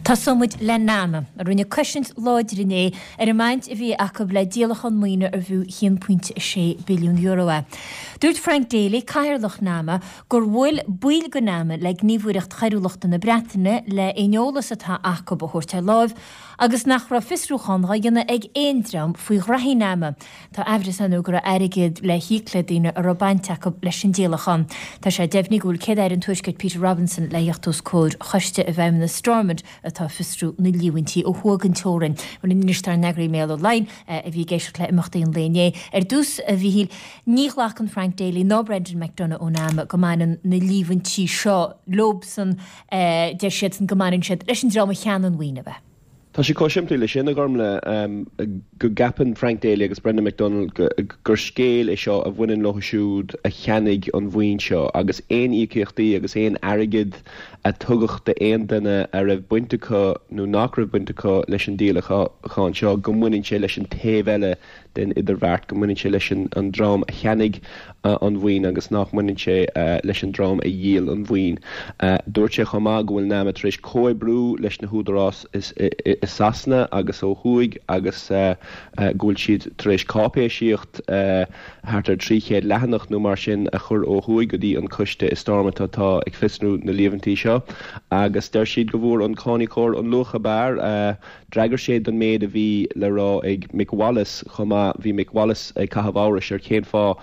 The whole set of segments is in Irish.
Tosóidh muid le NAMA, a rinne cosaint láidir inné ar an mbaint a bhí acu le díolachán maoine arbh fhiú €1.6 billiún é. Dúirt Frank Daly, Cathaoirleach NAMA, gur bhuail baill de NAMA le Gníomhaireacht Choiriúlachta na Breataine le aon eolas atá acu a thabhairt ar láimh agus nach raibh fiosrúchán dhá dhéanamh ag aon dream faoi ghraithí NAMA. Tá aimhreas ann go raibh airgead le híoc le daoine a raibh baint acu leis an díolachán. Tá sé deimhnithe go bhfuil Céad-Aire an Tuaiscirt Peter Robinson le theacht os comhair choiste i bhFeidhmeannas Stormont atá ag fiosrú na líomhaintí ó thuaidh den teorainn. Bhuel anois dár n-eagraí Mícheál Ó Laighin a bhí ag éisteacht le imeachtaí an lae inné. Ar dtús, a Mhíchíl, ní ghlacann Frank Daly ná Brendan McDonagh ó NAMA go mbaineann na líomhaintí seo leobsan, deir siadsan go mbaineann siad leis an dream a cheannaigh an mhaoin, ab ea? Tá sé chomh simplí leis sin, a Ghormlaith, go gceapann Frank Daly agus Brendan McDonald gur scéal é seo a bhaineann leo siúd a cheannaigh an mhaoin seo agus aon íocaíochtaí agus aon airgead a tugadh d'aon duine a raibh baint acu nó nach raibh baint acu leis an díolachán seo, go mbaineann sé leis an taobh eile den idirbheart, go mbaineann sé leis an dream a cheannaigh an mhaoin agus nach mbaineann sé leis an dream a dhíol an mhaoin. Dúirt sé chomh maith go bhfuil NAMA tar éis comhoibriú leis na húdaráis i Sasana agus ó thuaidh agus go bhfuil siad tar éis cáipéisíocht thart ar 300 leathanach nó mar sin a chur ó thuaidh go dtí an coiste i Stormont atá ag fiosrú na líomhaintí seo agus deir siad go bhfuair an cáiníocóir an luach ab fhearr. D'fhreagair sé don méid a bhí le rá ag Mick Wallace chomh maith. Bhí Mick Wallace ag caitheamh amhrais ar cén fáth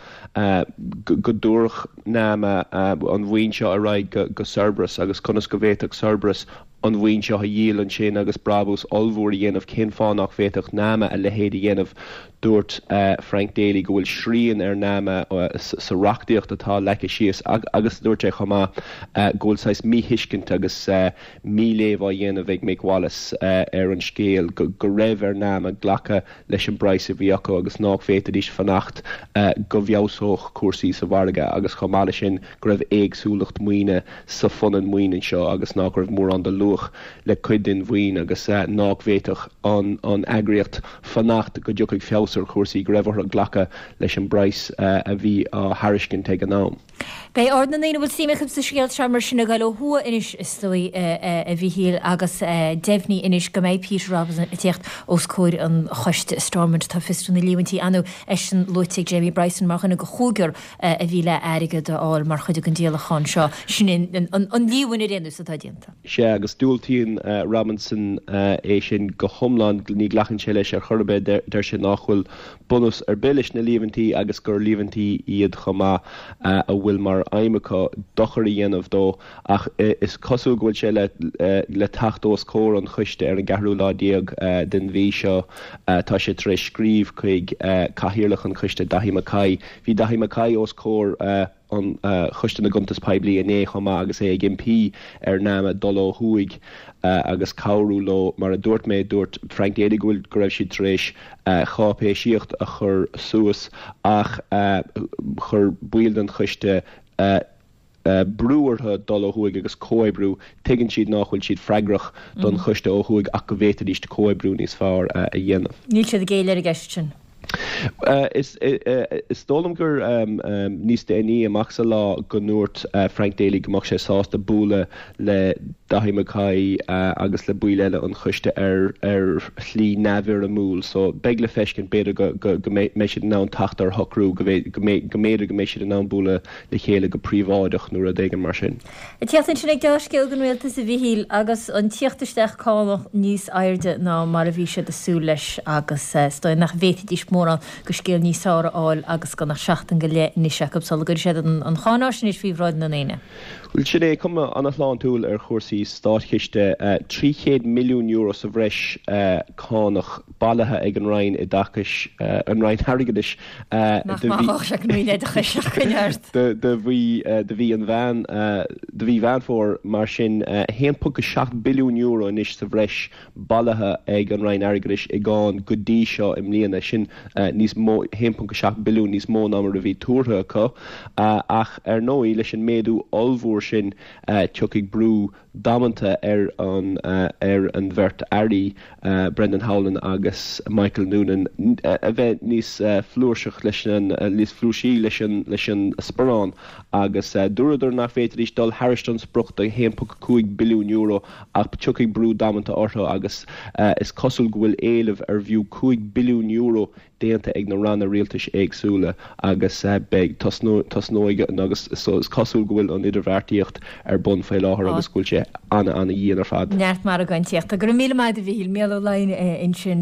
go dtabharfadh NAMA an mhaoin seo ar aghaidh go Cerberus agus conas go bhféadfadh Cerberus an mhaoin seo a dhíol ansin agus brabús ollmhór a dhéanamh. Cén fáth nach bhféadfadh NAMA a leithéid a dhéanamh? Dúirt Frank Daly go bhfuil srian ar NAMA sa reachtaíocht atá leagtha síos agus dúirt sé chomh maith go bhfuil saghas míthuiscint agus míléamh á dhéanamh ag Mick Wallace ar an scéal, go raibh ar NAMA glacadh leis an bpraghas a bhí acu agus nách bhféadfaidís fanacht go bhfeabhsódh cúrsaí sa mhargadh agus chomh maith leis sin go raibh éagsúlacht maoine sa phunann maoine seo agus nách raibh mórán de luach le cuid den mhaoin agus nách bhféadfadh an eagraíocht fanacht go dtiocfadh feabhas ar chúrsaí, go raibh orthu glacadh leis an bpraghas a bhí á thairiscint ag an am. Beidh aird na ndaoine a bhfuil suim acu sa scéal seo mar sin ag dul ó thuaidh anois is dóigh, a Mhíchíl, agus deimhnithe anois go mbeidh Peter Robinson ag tíocht os comhair an choiste i Stormont atá ag fiosrú na líomhaintí. Ar ndóigh, eisean luaite ag Jamie Bryson mar dhuine de chúigear a bhí le airgead a fháil mar chuid den díolachán seo. Sin an líomhain ar aon nós atá déanta. Sea, agus diúltaíonn Robinson é sin go hiomlán, ní ghlacann sé leis ar chor ar bith, deir sé nách bhfuil bunús ar bith leis na líomhaintí agus gur líomhaintí iad chomh maith a bhfuil mar aidhm acu dochar a dhéanamh dó ach is cosúil go bhfuil sé le teacht os comhair an choiste ar an gceathrú lá déag den mhí seo. Tá sé tar éis scríobh chuig cathaoirleach an choiste, Daithí Mackay. Bhí Daithí Mackay os comhair an Choiste na gCuntas Poiblí inné chomh maith agus é ag impí ar NAMA dul ó thuaidh agus cabhrú leo. Mar a dúirt mé, dúirt Frank Daly go bhfuil go raibh siad tar éis cháipéisíocht a chur suas ach chuir baill den choiste brú orthu dul ó thuaidh agus comhoibriú. Tuigeann siad nách bhfuil siad freagrach don choiste ó thuaidh ach go bhféadfaidís comhoibriú níos fearr a dhéanamh. Níl siad ag géilleadh ar an gceist sin. Is dóigh liom gur níos déanaí amach sa lá go ndúirt Frank Daly go mbeadh sé sásta bualadh le Daithí Mackay agus le baill eile an choiste ar shlí neamhfhoirmiúil so beidh le feiscint, b'fhéidir go mbeidh siad in ann teacht ar shocrú, go mb'fhéidir go mbeidh siad in ann bualadh le chéile go príobháideach nó rud éigin mar sin. Ag tíocht ansin ag dea-scéal don Rialtas, a Mhichíl, agus an tíocht isteach cánach níos airde ná mar a bhí siad ag súil leis agus is dóigh nach bhféadfaidís mórán de scéal níos fearr a fháil agus gan ach seachtain go leith anois acu sula gcuirfidh siad an cháináisnéis faoi bhráid na ndaoine. Bhuel, sin é, cuma an-shláintiúil ar chúrsaí státchiste. €300 milliún sa bhreis cánach bailithe ag an Roinn Oideachais, an Roinn Airgeadais, Nach maith a bheadh sé ag an Roinn Oideachais ach coinnigh ort. Do mhí do mhí an Mheán do mhí Mheán Fómhair mar sin €1.7 billiún anois sa bhreis bailithe ag an Roinn Airgeadais i gcáin go dtí seo i mbliana. Sin níos mó 1.7 billiún níos mó ná mar a bhí tuartha acu. Ach ar ndóigh leis an méadú ollmhór. uair sin tiocfaidh brú damanta ar an ar an bheirt airí, Brendan Howlin agus Michael Noonan, a bheith níos flúirseach leis an níos flúirsí leis an leis an sparán agus dúradar nach bhféadfaidís dul thairis an sprioc de €1.5 billiún ach tiocfaidh brú damanta orthu agus is cosúil go bhfuil éileamh ar bhfiú €5 billiún déanta ag na ranna rialtais éagsúla agus beidh, tosnóidh agus is cosúil go bhfuil an idirbheartaíocht ar bun faoi láthair agus go bhfuil sé ana-ana dhian ar fad. Neart margáintíochta. Go raibh míle maith agat a Mhíchíl. Mícheál Ó Laighin ansin.